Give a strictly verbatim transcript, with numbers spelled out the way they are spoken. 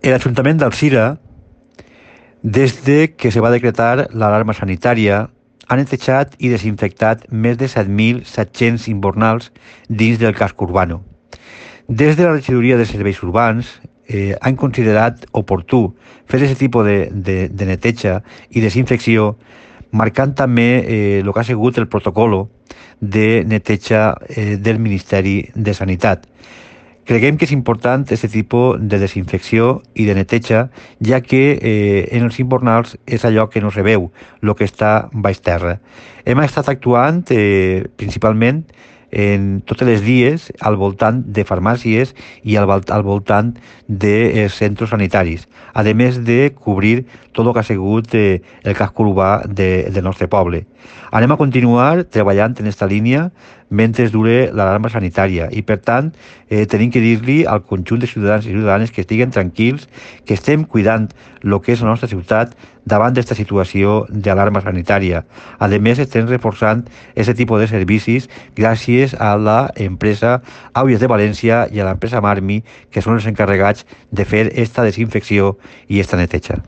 El Ayuntament d'Alzira, des de que se va decretar l'alarma sanitària, ha netejat i desinfectat més de set mil set-cents invernals dins del casc urbano. Des de la regidoria de serveis urbans eh, han considerat oportú fer aquest tipus de, de, de neteja i desinfecció, marcant també eh, el que ha sigut el protocol de neteja eh, del Ministeri de Sanitat. Creiem que és important aquest tipus de desinfecció i de neteja, ja que eh, en els invernals és allò que no se veu, el que està baix terra. Hem estat actuant eh, principalment en totes les dies al voltant de farmàcies i al, al voltant de eh, centres sanitaris, a més de cobrir tot el que ha sigut eh, el casc urbà de, del nostre poble. Anem a continuar treballant en aquesta línia mentre dure l'alarma sanitària i, per tant, eh, tenim que dir-li al conjunt de ciutadans i ciutadanes que estiguen tranquils, que estem cuidant el que és la nostra ciutat davant d'aquesta situació d'alarma sanitària. A més, estem reforçant aquest tipus de servicis gràcies a l'empresa Àuries de València i a l'empresa Marmi, que són els encarregats de fer aquesta desinfecció i aquesta neteja.